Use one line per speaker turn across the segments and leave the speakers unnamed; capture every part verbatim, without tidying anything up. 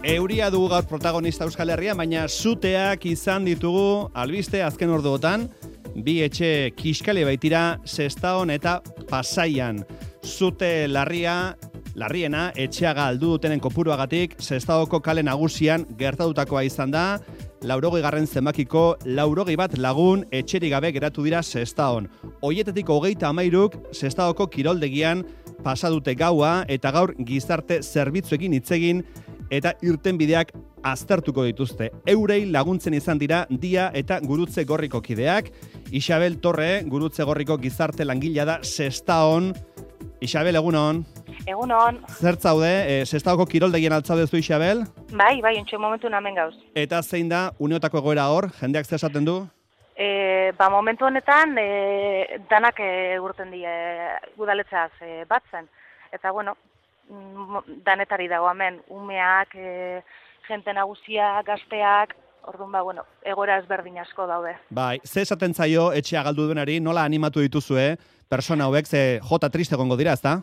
Euria dugu gaur protagonista Euskal Herria, baina suteak izan ditugu albiste azken orduotan, bi etxe kiskali baitira Sestaon eta Pasaian. Zute larria, larriena, etxea galdu dutenen kopuruagatik, Sestaoko kale nagusian gertatutakoa izan da, laurogei garren zenbakiko laurogei bat lagun etxerik gabe geratu dira Sestaon. Hoietetik hogeita hamairuk Sestaoko kiroldegian pasadute gaua eta gaur gizarte zerbitzuekin hitzegin eta irtenbideak aztertuko dituzte. Eurei laguntzen izan dira Dia eta Gurutze Gorriko kideak. Isabel Torre, Gurutze Gorriko gizarte langilea da Sestaon. Isabel, egunon.
Egunon.
Zer zaude, e, Sestaoko kiroldegian altzaude zu, Isabel?
Bai, bai, ontsu momentu namen gauz.
Eta zein da, uneotako egoera hor, jendeak zer esaten du?
E, ba, momentu honetan, e, danak e, urten die udaletzeaz e, batzen. Eta, bueno, danetari dago hemen, umeak, e, jente nagusia, gazteak, orduan, ba, bueno, egoera ezberdin asko daude.
Bai, ze esaten zaio etxea galdu duenari, nola animatu dituzue, persona hauek, ze jota triste egongo dira, ezta?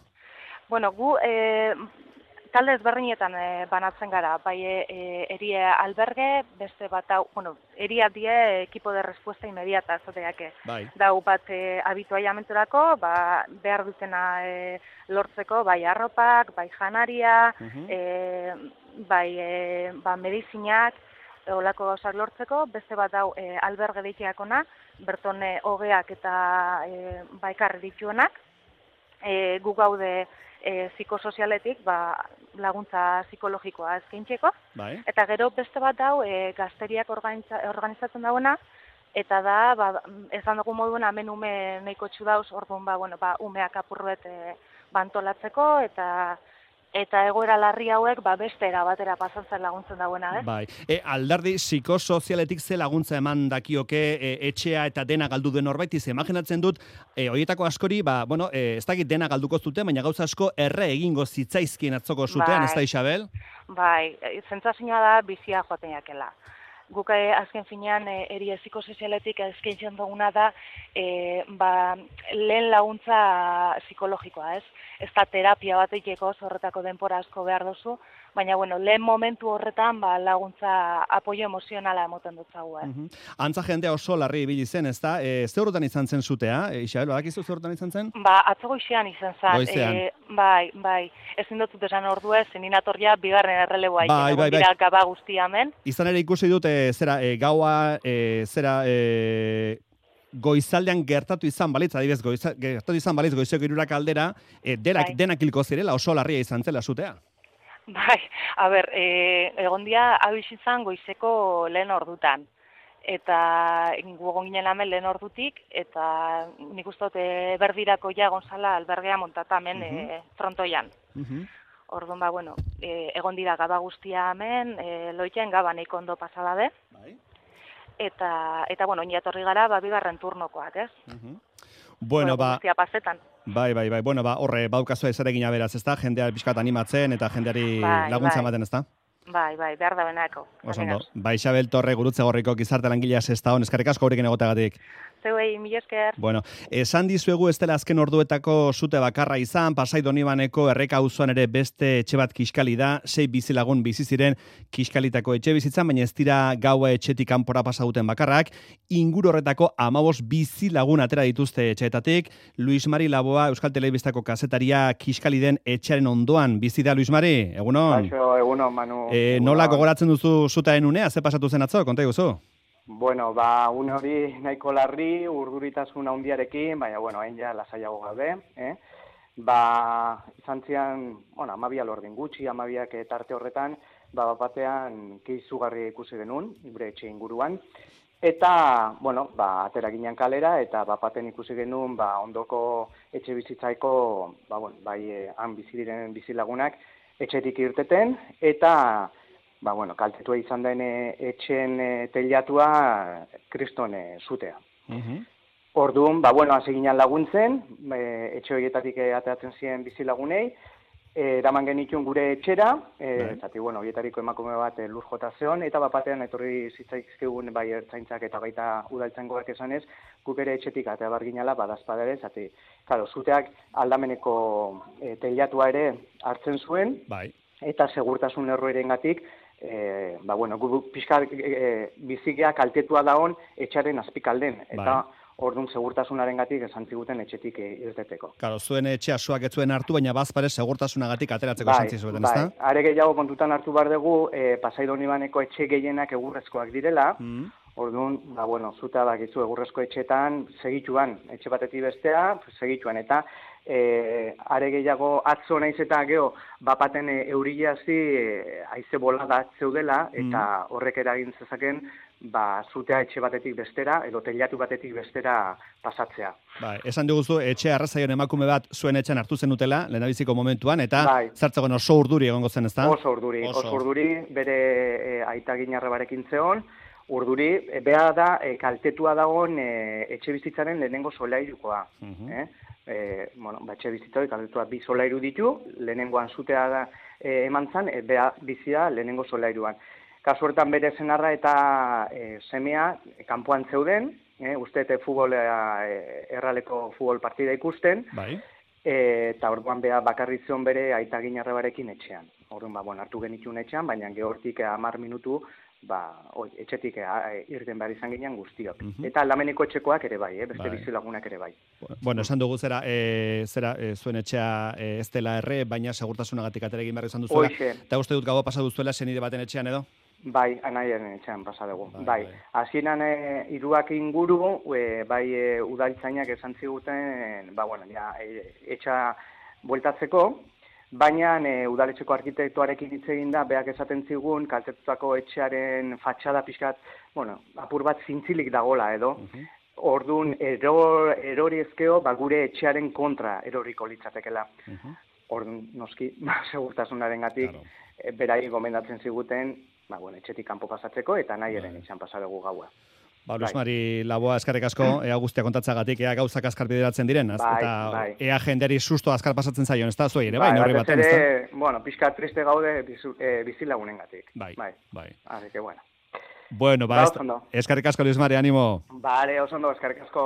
Bueno, gu e, talde ezberdinetan e, banatzen gara, bai e, erie alberge, beste bat hau, bueno, eria die ekipo de respuesta inmediata, zoteake.
Bai.
Dau bat e, habituaiamenturako, ba, behar dutena e, lortzeko, bai arropak, bai janaria, uh-huh. e, bai e, ba, medizinak, olako gauzak lortzeko, beste bat hau e, alberge deiteakona, berton e, hogeak eta e, baikarri dituenak, e, gu gaude e, psikosozialetik ba, laguntza psikologikoa eskaintzeko, bai. Eta gero beste bat hau e, gazteriak organiza, organizatzen dauena, eta da, ba, ezan dugu moduen hemen ume nahiko txu dauz, orduan ba, bueno, ba, umeak apurruet e, bantolatzeko, eta eta egoera larri hauek ba, beste erabatera pasatzen laguntzen dauena, eh?
Bai. E, alderdi psikosozialetik ze laguntza eman dakioke e, etxea eta dena galdu den horbaiti, ze imaginatzen dut, e, horietako askori, ba, bueno, e, ez dakit dena galduko zuten, baina gauza asko erre egingo zitzaizkien atzoko zutean, bai. Ez da, Isabel?
Bai, zentzazioa da bizia joaten jakela. Guk azken finean e, erie psikosozialetik eskaintzen duguna da e, ba, lehen laguntza psikologikoa, ez? Ez da terapia bat egiteko, horretako denpora asko behar duzu, baina bueno, lehen momentu horretan ba, laguntza apoio emozionala emoten dut zagu, eh?
Uh-huh. Antza jendea oso larri ibili zen, ez da? E, ze horretan izan zen zutea, e, Isabel, badakizu ze horretan izan zen?
Ba, atzo goizean izan zen.
Goizean.
E, bai, bai. Ezin dut esan ordua, zeninatorria bigarren erreleboa
bai, bai, bai.
Gaba guztia hemen.
Izan ere ikusi dute, zera, e, gaua, e, zera, e, goizaldean gertatu izan balitz, adibidez, goiza, gertatu izan balitz goizeko hirurak aldera, e, denak, bai. denak hilko zirela, oso larria izan zela zutea.
Bai, a ber, e, egon dia abis izan goizeko lehen ordutan. Eta gugon ginen hemen lehen ordutik, eta nik uste dut e, berdirako ja Gonzala albergea montata hemen uh-huh. e, frontoian. Uh-huh. Orduan, ba, bueno, e, egon dira gaba guztia hemen, e, loiten gaba nahiko ondo pasadabe. Bai. Eta, eta bueno, iniatorri gara, ba, bigarren turnokoak, ez? Uh-huh.
Bueno, ba...
Guztia pasetan.
Bai, bai, bai. Bueno, ba, horre, baukazua ezaregina beraz, ezta? Jendea pixkat animatzen eta jendeari bai, laguntza ematen, bai. Ezta?
Bai, bai, behar da benako.
Osondo. Ba, Isabel Torre, Gurutze Gorriko gizarte langilea Sestaon, eskerrik asko gurekin egoteagatik.
Zeuei, mila esker.
Bueno, esan dizuegu ez dela azken orduetako zute bakarra izan, Pasai Donibaneko Erreka auzoan ere beste etxe bat kiskali da, sei bizilagun bizi ziren kiskalitako etxe bizitzan, baina ez dira gaua etxetik kanpora pasa duten bakarrak, inguru horretako hamabost bizilagun atera dituzte etxeetatik. Luis Mari Laboa, Euskal Telebistako kazetaria kiskali den etxearen ondoan bizi da, Luis Mari, egunon?
Baixo, egunon, Manu.
E, nola gogoratzen duzu zutaen unea, ze pasatu zen atzo, konta iguzu?
Bueno, ba, une hori nahiko larri, urduritasun handiarekin, baina, bueno, hain ja lasaiago gabe, eh? Ba, izan zian, bueno, amabia lordin gutxi, amabiak tarte horretan, ba, batean keizugarri ikusi genuen, gure etxe inguruan, eta, bueno, ba, atera ginen kalera, eta bapaten ikusi genuen, ba, ondoko etxe bizitzaiko, ba, bueno, bai, eh, han bizi diren bizilagunak, etxetik irteten, eta, ba, bueno, kaltetua izan den etxen e, teilatua kriston e, zutea. Uh-huh. Orduan, ba, bueno, hasi ginen laguntzen, e, etxe horietatik ateratzen ziren bizilagunei, eraman genituen gure etxera, e, zati, bueno, horietariko emakume bat e, lur jota zeon, eta bapatean etorri zitzaizkigun bai ertzaintzak eta baita udaltzaingoak esanez, guk ere etxetik atea barginala badazpadere, zati, claro, zuteak aldameneko e, teilatua ere hartzen zuen,
bai.
Eta segurtasun erroerengatik e, ba, bueno, gu pixka e, bizikea kaltetua daon etxaren azpikalden, eta bai. Orduan segurtasunarengatik esan ziguten etxetik irteteko.
Claro, zuen etxea suak ez zuen hartu, baina bazpare segurtasunagatik ateratzeko esan zizuten, ezta?
Bai, are gehiago kontutan hartu behar dugu, e, Pasai Donibaneko etxe gehienak egurrezkoak direla, mm. Orduan, ba, bueno, zuta bakizu egurrezko etxetan segituan, etxe batetik bestea, segituan, eta e, are gehiago atzo naiz eta geho, bapaten e, euriazi e, haize bolada zeudela, eta mm. horrek eragin zezaken, ba, zutea etxe batetik bestera, edo teilatu batetik bestera pasatzea.
Bai, esan diguzu, etxe arrazaion emakume bat zuen etxean hartu zen utela, lehendabiziko momentuan, eta bai. Zertzegoen oso urduri egongo zen, ezta?
Oso urduri, oso, oso urduri, bere e, aita ginarrebarekin zeon, urduri, e, beha da, e, kaltetua dagoen e, etxe bizitzaren lehenengo solairukoa. Uh -huh. eh? e, bueno, ba, etxe bizitzoi kaltetua bi solairu ditu, lehenengoan zutea da e, eman zan, e, beha bizia lehenengo solairuan. Kasu hortan bere senarra eta e, semea kanpoan zeuden, e, usteete futbol, e, erraleko futbol partida ikusten, bai. E, eta orduan beha bakarri zion bere aita ginarrebarekin etxean. Orduan, ba, bueno, hartu genitun etxean, baina gehortik hamar minutu, ba, oi, etxetik e, irten behar izan ginean guztiok. Uh -huh. Eta aldameneko etxekoak ere bai, eh? Beste bai. Bizilagunak ere bai.
Bueno, esan dugu zera, e, zera e, zuen etxea e, ez dela erre, baina segurtasunagatik atera egin behar izan duzuela. Eta uste dut gaua pasa duzuela senide baten etxean edo?
Bai, anaiaren etxean pasa dugu. Bai, bai. Hasieran e, hiruak inguru, e, bai e, udaltzainak esan ziguten, ba, bueno, ja, e, etxa bueltatzeko, baina e, udaletxeko arkitektoarekin hitz egin da, beak esaten zigun, kaltetutako etxearen fatxada pixkat, bueno, apur bat zintzilik dagola edo, uh -huh. Orduan, ero, erori ezkeo, ba, gure etxearen kontra eroriko litzatekela. Uh -huh. Orduan, noski, segurtasunaren gatik, claro. e, berai gomendatzen ziguten, ba, bueno, etxetik kanpo pasatzeko, eta nahi eren etxean pasa dugu gaua.
Ba, Luz Mari Laboa, eskerrik asko, ea guztia kontatzagatik, ea gauzak azkar bideratzen diren, az,
bai,
eta
bai.
ea jenderi susto azkar pasatzen zaion, ez da, zuei ere, bai, bai, norri baten, ez da?
Bueno, pixka triste gaude bizu, e, bizilagunengatik.
Bai, bai. bai.
Así que, bueno.
Bueno, ba, ba eskerrik asko, Luz Mari, animo.
Vale, oso ondo, eskerrik asko.